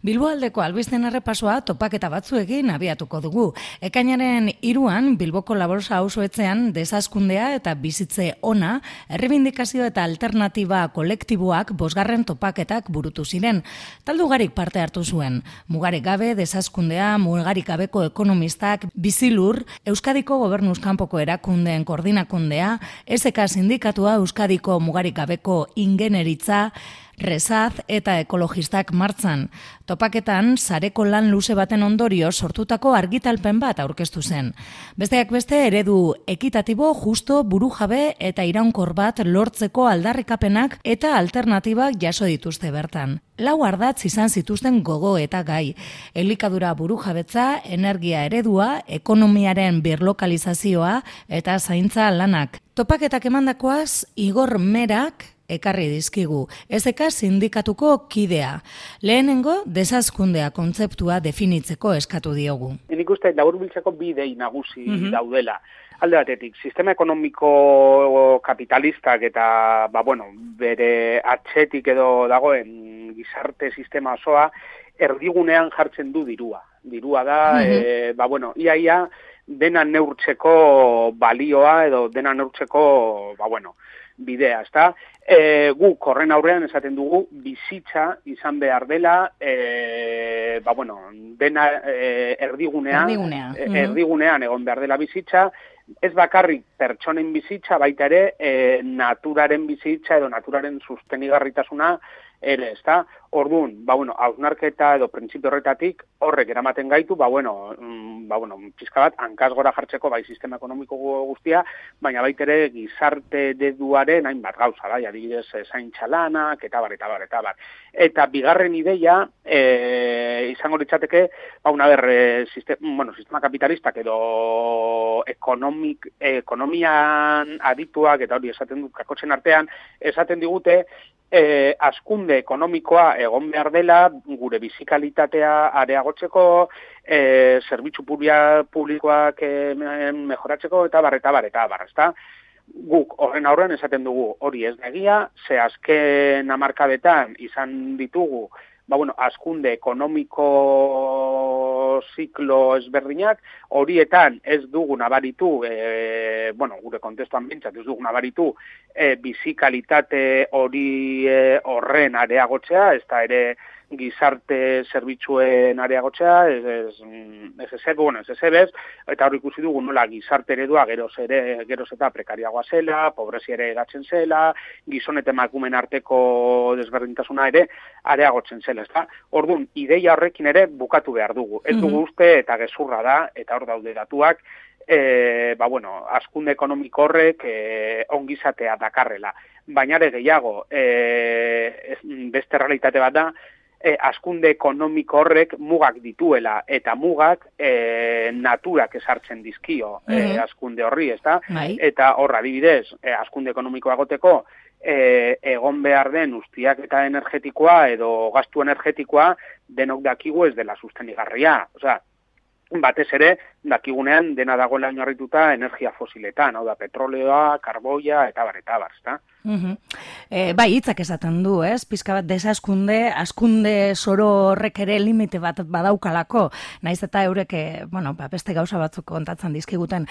Bilboaldeko albisten errepasoa topaketa batzuekin abiatuko dugu. Ekainaren 3an Bilboko Laborsa auzoetxean desazkundea eta bizitze ona, errebindikazio eta alternatiba kolektiboak 5. topaketak burutu ziren. Talde ugarik parte hartu zuen. Mugarik gabe desazkundea, mugarik gabeko ekonomistak, Bizilur, Euskadiko Gobernuz kanpoko erakundeen koordinakundea, SK sindikatua, Euskadiko mugarik gabeko ingeneritza, Rezaz eta ekologistak martzan. Topaketan, sareko lan luze baten ondorio sortutako argitalpen bat aurkeztu zen. Besteak beste eredu ekitatibo, justo, burujabe eta iraunkor bat lortzeko aldarrikapenak eta alternatibak jaso dituzte bertan. 4 ardatz izan zituzten gogo eta gai. Elikadura burujabetza, energia eredua, ekonomiaren birlokalizazioa eta zaintza lanak. Topaketak emandakoaz, Igor Merak ekarri dizkigu, SK sindikatuko kidea. Lehenengo, desazkundea kontzeptua definitzeko eskatu diogu. Nik uste laburbiltzeko bi idei nagusi daudela. Alde batetik, sistema ekonomiko kapitalistak eta, bere atxetik edo dagoen gizarte sistema osoa erdigunean jartzen du dirua. Dirua da, iaia dena neurtzeko balioa edo dena neurtzeko, bidea, ezta? Guk horren aurrean esaten dugu bizitza izan behar dela, dena erdigunean egon behar dela bizitza, ez bakarrik pertsonen bizitza, baita ere naturaren bizitza edo naturaren sostenigarritasuna ere, ezta? Orduan, hausnarketa edo printzipio horretatik horrek eramaten gaitu, pizka bat hankaz gora jartzeko bai sistema ekonomiko guztia, baina baita ere gizarte ereduaren hainbat gauza, bai, adibidez zaintza lanak eta bar. Eta bigarren ideia izango litzateke, sistema kapitalistak edo ekonomian adituak eta hori esaten dut kakotzen artean, esaten digute hazkunde ekonomikoa egon behar dela, gure bizikalitatea areagotzeko, zerbitzu publikoak mejoratzeko eta bar, ezta? Guk horren aurrean esaten dugu hori ez da egia, ze azken hamarkadetan izan ditugu, hazkunde ekonomiko ziklo ezberdinak, horietan ez dugu nabaritu, gure kontestuan bintzat ez dugu nabaritu, bizikalitate hori horren areagotzea, ez da ere gizarte zerbitzuen areagotzea, ez ezebez, eta hori ikusi dugu nola gizarte eredua geroz eta prekariagoa zela, pobrezia ere egatzen zela, gizon eta emakumeen arteko desberdintasuna ere areagotzen zela, ezta? Orduan, ideia horrekin ere bukatu behar dugu. Ez dugu uste eta gezurra da, eta hor daude datuak, hazkunde ekonomiko horrek ongizatea dakarrela. Baina ere gehiago, beste realitate bat da, hazkunde ekonomiko horrek mugak dituela, eta mugak naturak esartzen dizkio hazkunde horri, ezta? Eta horra adibidez, hazkunde ekonomikoa egoteko, egon behar den ustiaketa energetikoa edo gastu energetikoa denok dakigu ez dela sostenigarria. Osea, batez ere, dakigunean dena dagoela oinarrituta energia fosiletan, hau da, petroleoa, karboia, eta bar, ezta? Bai, hitzak esaten du, ez? Pizka bat desazkunde, hazkunde zoro horrek ere limite bat badaukalako, naiz eta eurek, beste gauza batzuk kontatzen dizkiguten.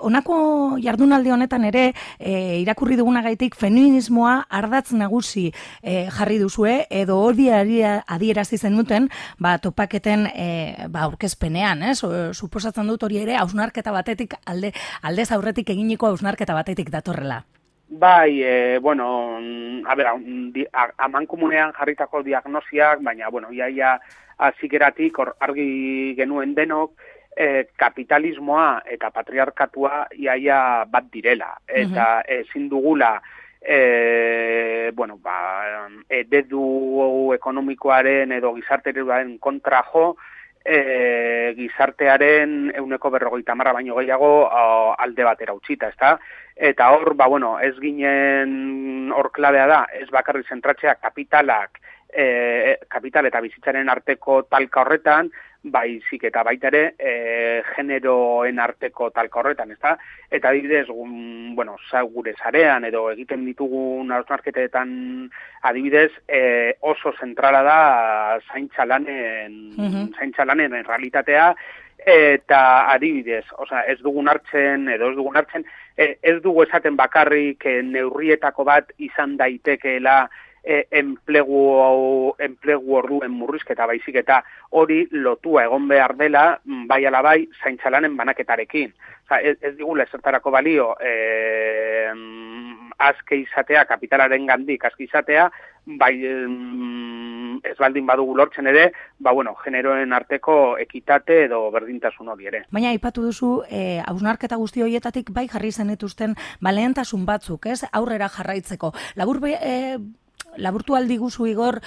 Honako jardunaldi honetan ere, irakurri dugunagaitik feminismoa ardatz nagusi jarri duzue, edo hori adierazi zenuten, topaketen aurkezpenean, ez? Suposatzen dut hori ere, hausnarketa batetik, aldez aurretik eginiko hausnarketa batetik datorrela. Bai, amankomunean jarritako diagnosiak, baina, iaia azikeratik argi genuen denok, kapitalismoa eta patriarkatua iaia bat direla. Eta ezin dugula, eredu ekonomikoaren edo gizarte ereduaren kontra jo, gizartearen 50% baino gehiago alde batera utzita, ezta? Eta hor, ez ginen hor klabea da, ez bakarri zentratzea kapital eta bizitzaren arteko talka horretan, baizik eta baita ere generoen arteko talka horretan, ezta? Eta adibidez, gure sarean edo egiten ditugun hausnarketetan adibidez, oso zentrala da zaintza lanen realitatea, eta adibidez, ez dugun hartzen, ez dugu esaten bakarrik neurrietako bat izan daitekeela enplegu orduen murrizketa baizik eta hori lotua egon behar dela bai ala bai zaintza lanen banaketarekin. Ez digula ezertarako balio azke izatea, kapitalaren gandik azke izatea, bai ez baldin badugu lortzen ere, generoen arteko ekitate edo berdintasun hori ere. Baina aipatu duzu, hausnarketa guzti horietatik bai jarri zenituzten lehentasun batzuk, ez? Aurrera jarraitzeko. Laburtu aldi guzu Igor,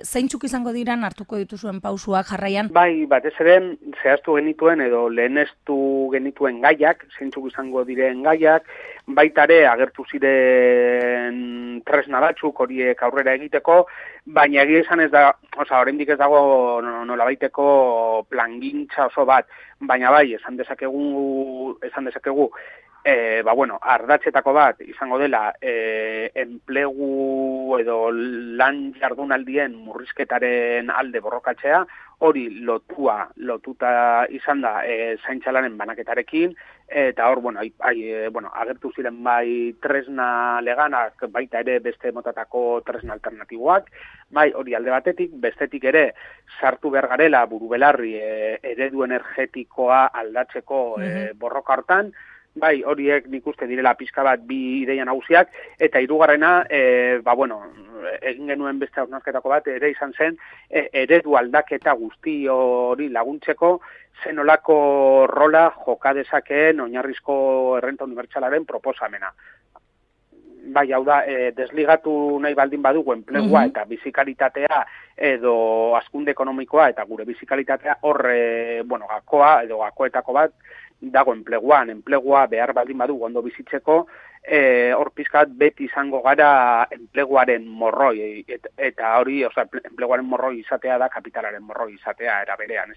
zeintzuk izango diran hartuko dituzuen pausuak jarraian? Bai, batez ere, zehaztu genituen edo leheneztu genituen gaiak, zeintzuk izango diren gaiak, baita ere agertu ziren tresna batzuk horiek aurrera egiteko, baina egia esan ez da, oraindik ez dago nolabaiteko plangintza oso bat, baina bai, esan dezakegu ardatzetako bat izango dela enplegu edo lan jardunaldien murrizketaren alde borrokatzea, hori lotuta izan da zaintza lanen banaketarekin, eta hor, agertu ziren bai tresna leganak, baita ere beste motatako tresna alternatiboak, bai hori alde batetik, bestetik ere sartu behar garela burubelarri eredu energetikoa aldatzeko borroka hartan, bai, horiek nik uste direla pixka bat bi ideia nagusiak, eta hirugarrena, egin genuen beste hausnarketako bat, ere izan zen, eredu aldaketa guzti hori laguntzeko, zenolako rola joka dezakeen oinarrizko errenta unibertsalaren proposamena. Bai, hau da, desligatu nahi baldin badugu enplegua eta bizikalitatea edo hazkunde ekonomikoa eta gure bizikalitatea horre, gakoa edo gakoetako bat, dago enplegua behar baldin badugu ondo bizitzeko, hor pizkat beti izango gara enpleguaren morroi, eta hori, enpleguaren morroi izatea da kapitalaren morroi izatea era berean.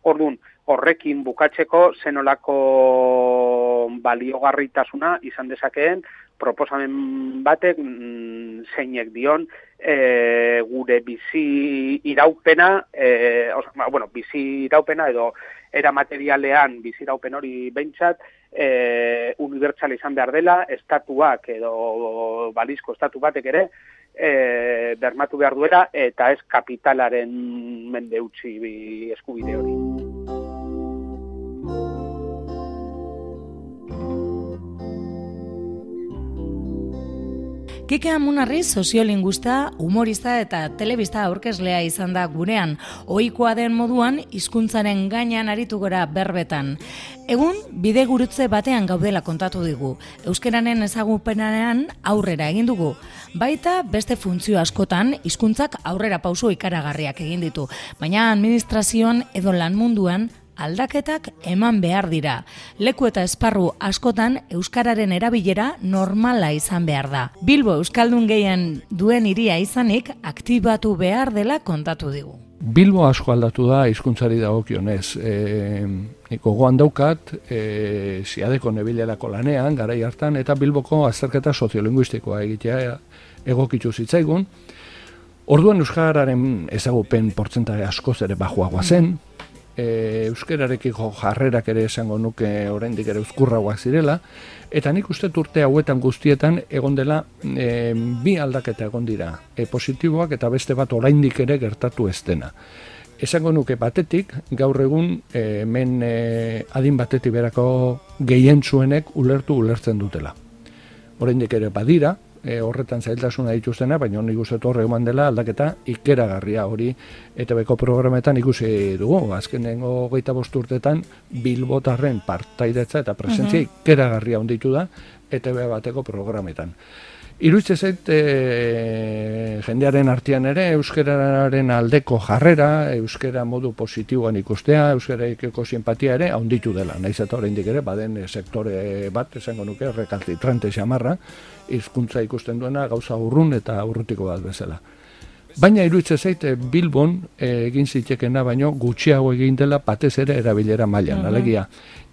Orduan, horrekin bukatzeko zenolako baliogarritasuna izan dezakeen proposamen batek zeinek dion gure bizi iraupena, bizi iraupena edo era materialean bizi iraupen hori behintzat, unibertsal izan behar dela, estatuak edo balizko estatu batek ere, bermatu behar duela, eta ez kapitalaren mende utzi eskubide hori. Kike Amunarri soziolinguista, humorista eta telebista aurkezlea izan da gurean, ohikoa den moduan hizkuntzaren gainean aritu gora berbetan. Egun, bide gurutze batean gaudela kontatu digu. Euskararen ezagupenean aurrera egin dugu. Baita beste funtzio askotan hizkuntzak aurrera pauso ikaragarriak egin ditu, baina administrazioan edo lan munduan aldaketak eman behar dira. Leku eta esparru askotan euskararen erabilera normala izan behar da. Bilbo euskaldun gehien duen hiria izanik aktibatu behar dela kontatu digu. Bilbo asko aldatu da hizkuntzari dagokionez. Gogoan daukat, Ziadeko nebilerako lanean, garai hartan, eta Bilboko azterketa soziolinguistikoa egitea egokitu zitzaigun. Orduan euskararen ezagupen portzentaje askoz ere bajuagoa zen, euskararekiko jarrerak ere esango nuke oraindik ere uzkurragoak zirela, eta nik uste urte hauetan guztietan egon dela bi aldaketa egon dira, positiboak eta beste bat oraindik ere gertatu ez dena. Esango nuke batetik, gaur egun hemen adin batetik berako gehientzuenek ulertzen dutela. Oraindik ere badira, horretan zailtasuna dituztena, baina nik uste horre eman dela aldaketa ikeragarria hori ETBko programetan ikusi dugu. Azkenengo 25 urtetan bilbotarren partaidetza eta presentzia ikeragarria onditu da ETB bateko programetan. Iruditzen zait jendearen artean ere euskararen aldeko jarrera, euskara modu positiboan ikustea, euskararekiko simpatia ere handitu dela. Naiz eta oraindik ere baden sektore bat, esango nuke rekalcitrante xamarra, hizkuntza ikusten duena gauza urrun eta urrutiko bat bezala. Baina iruditzen zaite Bilbon egin zitekena baino gutxiago egin dela batez ere erabilera mailan. Alegia,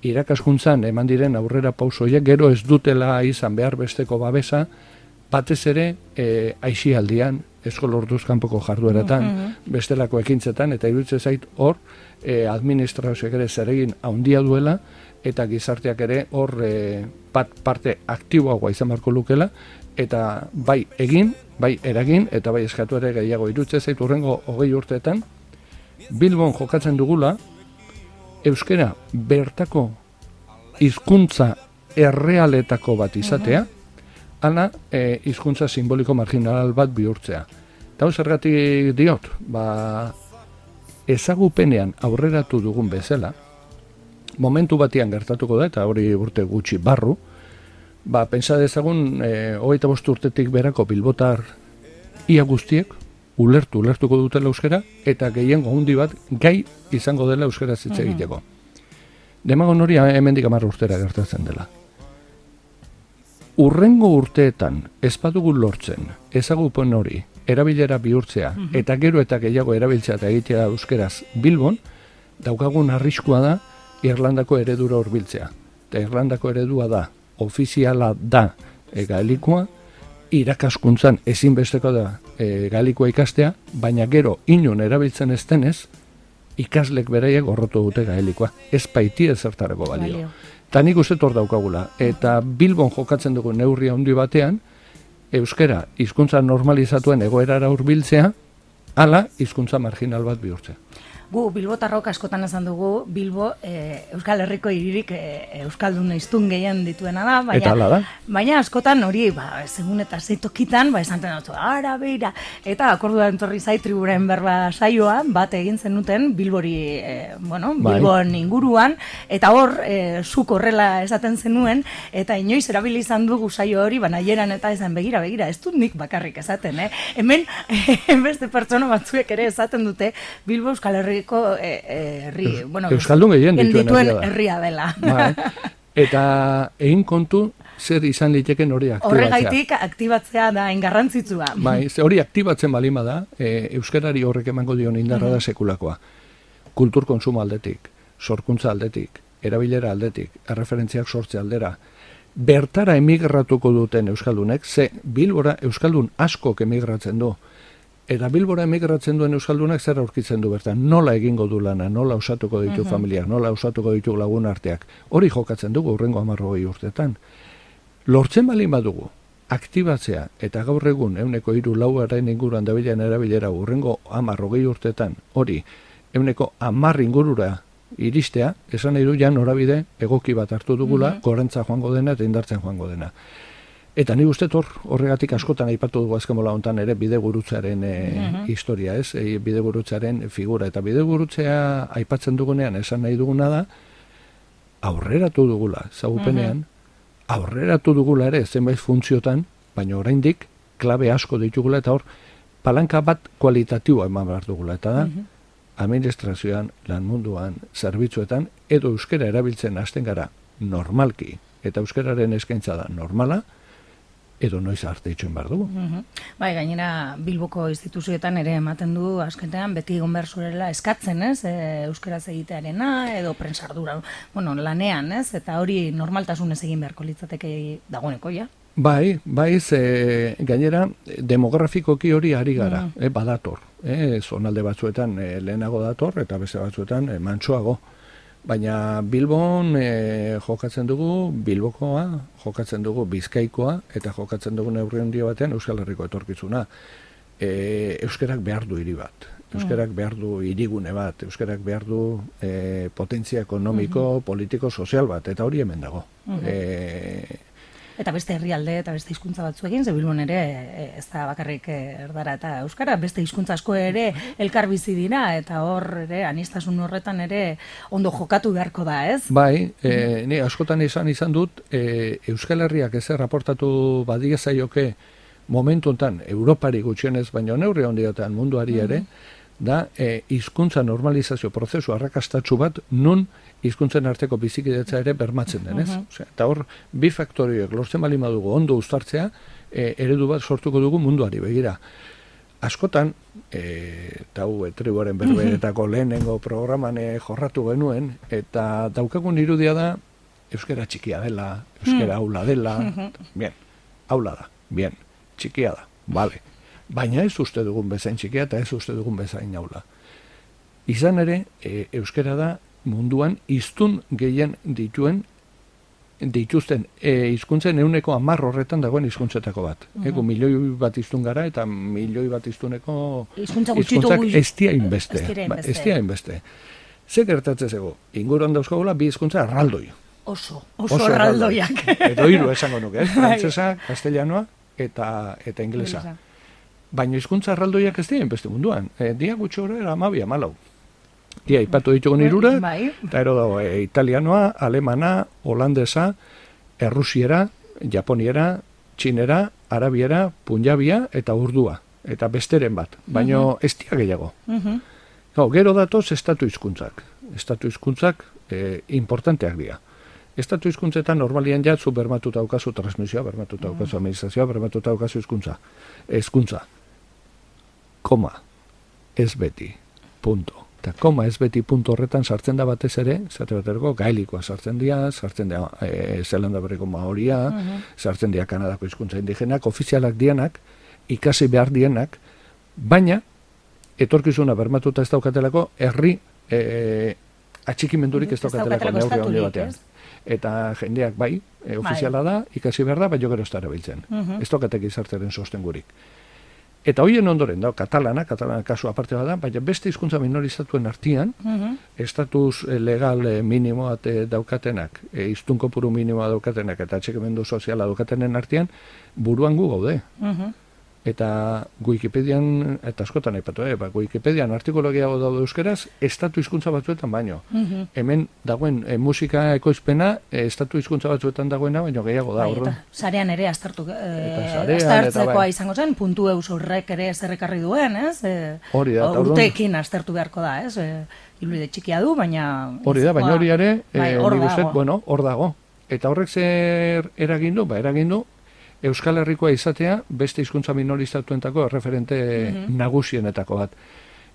irakaskuntzan eman diren aurrera pausoiek gero ez dutela izan behar besteko babesa, batez ere aisialdian, eskola orduz kanpoko jardueratan, bestelako ekintzetan, eta iruditzen zait hor administrazioak ere zeregin handia duela, eta gizarteak ere hor parte aktiboagoa izan beharko lukela, eta bai egin, bai eragin, eta bai eskatu ere gehiago. Iruditzen zait hurrengo 20 urteetan, Bilbon jokatzen dugula, euskara bertako hizkuntza errealetako bat izatea, ala hizkuntza simboliko marginal bat bihurtzea. Eta zergatik diot, ezagupenean aurreratu dugun bezala, momentu batean gertatuko da, eta hori urte gutxi barru, pentsa dezagun 25 urtetik berako bilbotar ia guztiek ulertuko dutela euskara, eta gehiengo handi bat gai izango dela euskara hitz egiteko. Demagon hori hemendik 10 urtera gertatzen dela. Urrengo urteetan ez badugu lortzen ezagupen hori erabilera bihurtzea, eta gero eta gehiago erabiltzea eta egitea euskeraz Bilbon, daukagun arriskua da Irlandako eredura hurbiltzea. Eta Irlandako eredua da, ofiziala da gaelikoa, irakaskuntzan ezinbesteko da gaelikoa ikastea, baina gero inon erabiltzen ez denez, ikaslek beraiek gorrotu dute gaelikoa. Ez baiti ezertarako balio. Eta nik uste hor daukagula. Eta Bilbon jokatzen dugu neurri handi batean, euskara hizkuntza normalizatuen egoerara hurbiltzea, ala hizkuntza marginal bat bihurtzea. Gu Bilbotarrok askotan esan dugu, Bilbo Euskal Herriko hiririk euskaldun hiztun gehien dituena da, baina askotan hori, segun eta zeitokitan, esanten dut, ara beira, eta akordua entorri zait triburen berba saioa, bat egin zenuten Bilbori, Bilbon inguruan, eta hor, zuk horrela esaten zenuen, eta inoiz erabili izan dugu saio hori, naieran eta esan begira, ez dut nik bakarrik esaten, Hemen, beste pertsona batzuek ere esaten dute, Bilbo Euskal Herri euskaldun gehien dituen herria dela. Eta egin kontu zer izan liteken hori aktibatzea. Horregaitik aktibatzea da ingarrantzitsua. Hori aktibatzen balima da, euskarari horrek emango dion indarra da sekulakoa. Kultur konsumo aldetik, sorkuntza aldetik, erabilera aldetik, erreferentziak sortze aldera. Bertara emigratuko duten euskaldunek, Bilbora euskaldun askok emigratzen du. Eta Bilbora emigratzen duen euskaldunak zer aurkitzen du bertan, nola egingo du lana, nola osatuko ditu familiak, nola osatuko ditu lagun arteak. Hori jokatzen dugu urrengo 10 urteetan. Lortzen balin badugu, aktibatzea eta gaur egun 3-4 inguruan dabilen erabilera urrengo 10 urteetan, hori 10 ingurura iristea, esan nahi du ja norabide egoki bat hartu dugula, gorentza joango dena eta indartzen joango dena. Eta ni uste horregatik askotan aipatu dugu azken bola hontan ere bidegurutzearen historia, ez? Bidegurutzearen figura. Eta bidegurutzea aipatzen dugunean esan nahi duguna da, aurreratu dugula, zagupenean, aurreratu dugula ere zenbait funtziotan, baina oraindik klabe asko ditugula eta hor palanka bat kualitatiboa eman behar dugula. Eta da, administrazioan, lan munduan, zerbitzuetan, edo euskara erabiltzen hasten gara normalki, eta euskararen eskaintza da normala, edo noiz arte itxoen behar dugu. Gainera, Bilboko instituzioetan ere ematen du, azkenean, beti egon behar zurela eskatzen, ez? Euskaraz egitearena, edo prensardura, lanean, ez? Eta hori normaltasunez egin beharko litzateke dagoeneko, ja? Gainera, demografikoki hori ari gara, badator. Zonalde batzuetan lehenago dator, eta beste batzuetan mantsoago. Baina Bilbon jokatzen dugu Bilbokoa, jokatzen dugu Bizkaikoa, eta jokatzen dugu neurri handia batean Euskal Herriko etorkizuna. Euskarak behar du hiri bat, euskarak behar du hirigune bat, euskarak behar du potentzia ekonomiko, politiko, sozial bat, eta hori hemen dago. Eta beste herrialde eta beste hizkuntza batzuekin, ze Bilbon ere ez da bakarrik erdara eta euskara, beste hizkuntza asko ere elkar bizi dira, eta hor ere aniztasun horretan ere ondo jokatu beharko da, ez? Ni askotan izan dut, Euskal Herriak ez raportatu badia zaioke momentu honetan, Europari gutxienez, baina neurri handietan munduari ere, da hizkuntza normalizazio prozesu arrakastatsu bat nun hizkuntzen arteko bizikidetza ere bermatzen denez. Eta hor, bi faktorioek lortzen bali madugu ondo uztartzea, eredu bat sortuko dugu munduari begira. askotan, eta tribuaren berberetako lehenengo programan jorratu genuen, eta daukagun irudia da, euskera txikia dela, euskera aula dela, bien, aula da, bien, txikia da, bale. Baina ez uste dugun bezain txikia eta ez uste dugun bezain aula. Izan ere, euskera da munduan hiztun gehien dituzten hizkuntzen 10% horretan dagoen hizkuntzetako bat. Ego milioi bat hiztun gara eta milioi bat hiztuneko hizkuntzak ez dira hainbeste. Ze gertatzen zego? Inguruan dauzkagula bi hizkuntza erraldoi. Oso erraldoiak. Edo hiru esango nuke, frantsesa, castellanoa eta inglesa. Baina hizkuntza erraldoiak ez dira hainbeste munduan. Dia gutxi horrela 12-14. Dia, ipatu ditugun hirurak, eta ero dago italianoa, alemana, holandesa, errusiera, japoniera, txinera, arabiera, punjabia eta urdua. Eta besteren bat, baina ez dira gehiago. Gero datoz estatu hizkuntzak. Estatu hizkuntzak importanteak dira. Estatu hizkuntzetan normalian jatzu bermatuta daukazu transmisioa, bermatuta daukazu administrazioa, bermatuta daukazu hizkuntza. Koma, ez beti, punto. Eta koma ez beti punto horretan sartzen da batez ere, zate baterako gaelikoa sartzen dira Zelanda Berriko maoria, sartzen dira Kanadako hizkuntza indigenak, ofizialak dianak, ikasi behar dienak, baina etorkizuna bermatuta ez daukatelako herri atxikimendurik ez daukatelako neurri handi batean. Eta jendeak bai, ofiziala da, ikasi behar da, baina gero ez da erabiltzen. Ez daukatek izarteren sostengurik. Eta hoien ondoren, katalana kasu aparte bada, baina beste hizkuntza minoristatuen artean, estatus legal minimo daukatenak, hiztun kopuru minimoa daukatenak, eta atxikimendu soziala daukatenen artean, buruan gu gaude. Eta Wikipedian, eta askotan aipatu, Wikipedian artikologiago daude euskeraz, estatu hizkuntza batzuetan baino. Hemen dagoen musika ekoizpena, estatu hizkuntza batzuetan dagoena, baino gehiago da. Eta sarean ere aztertzekoa izango zen, puntu eus horrek ere zerrekarri duen, ez? Hori da. Urteekin aztertu beharko da, ez? Iluide txikia du, baina... Hori da, baina hori ere, hor dago. Eta horrek zer eragin du, Euskal Herrikoa izatea beste hizkuntza minorizatuentako referente nagusienetako bat.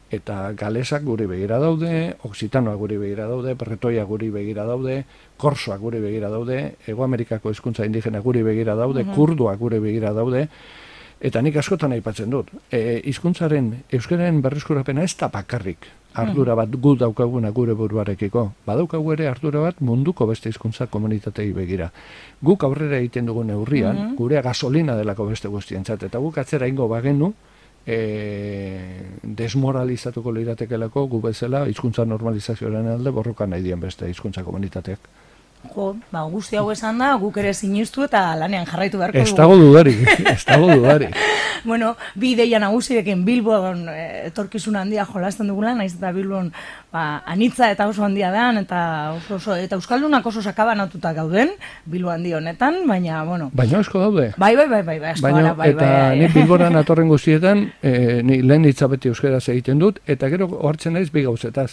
Eta galesak guri begira daude, oksitanoak guri begira daude, bretoiak guri begira daude, korsoak guri begira daude, Hego Amerikako hizkuntza indigena guri begira daude, kurduak guri begira daude, eta nik askotan aipatzen dut. Hizkuntzaren euskararen berreskurapena ez da bakarrik ardura bat gu daukaguna gure buruarekiko. Badaukagu ere ardura bat munduko beste hizkuntza komunitatei begira. Guk aurrera egiten dugun neurrian, gurea gasolina delako beste guztientzat, eta guk atzera ingo bagenu, desmoralizatuko liratekelako gu bezala hizkuntza normalizazioaren alde borroka nahi dien beste hizkuntza komunitateak. Guzti hau esan da, guk ere sinistu eta lanean jarraitu beharko dugu. Ez dago dudari. Bueno, bi ideia nagusirekin Bilbon etorkizun handia jolasten dugula, naiz eta Bilbon anitza eta oso handia den, eta euskaldunak oso sakabanatuta gauden, Bilbo handi honetan, baina, bueno... Baina asko daude. Bai, asko gara, bai. Eta nik Bilboran atorren guztietan, ni lehen hitzabeti euskeraz egiten dut, eta gero hartzen naiz bi gauzetaz.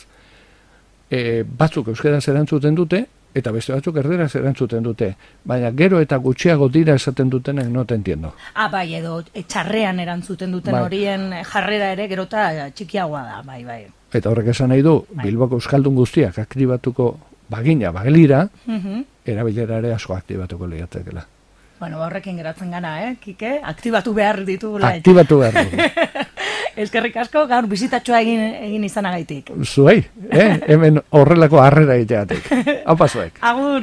Batzuk euskeraz erantzuten dute, eta beste batzuk erderaz erantzuten dute. Baina gero eta gutxiago dira esaten dutenek no te entiendo. Bai, edo txarrean erantzuten duten horien jarrera ere gero eta txikiagoa da, bai. Eta horrek esan nahi du, Bilboko euskaldun guztiak aktibatuko bagelira, erabilera ere asko aktibatuko lehiatekela. Bueno, horrekin geratzen gana, Kike? Aktibatu behar ditugula. Aktibatu behar dugu. Eskerrik asko, gaur bizitatxoa egin izanagaitik. Zuei, hemen horrelako harrera egiteatik. Hau pasoek. Agur!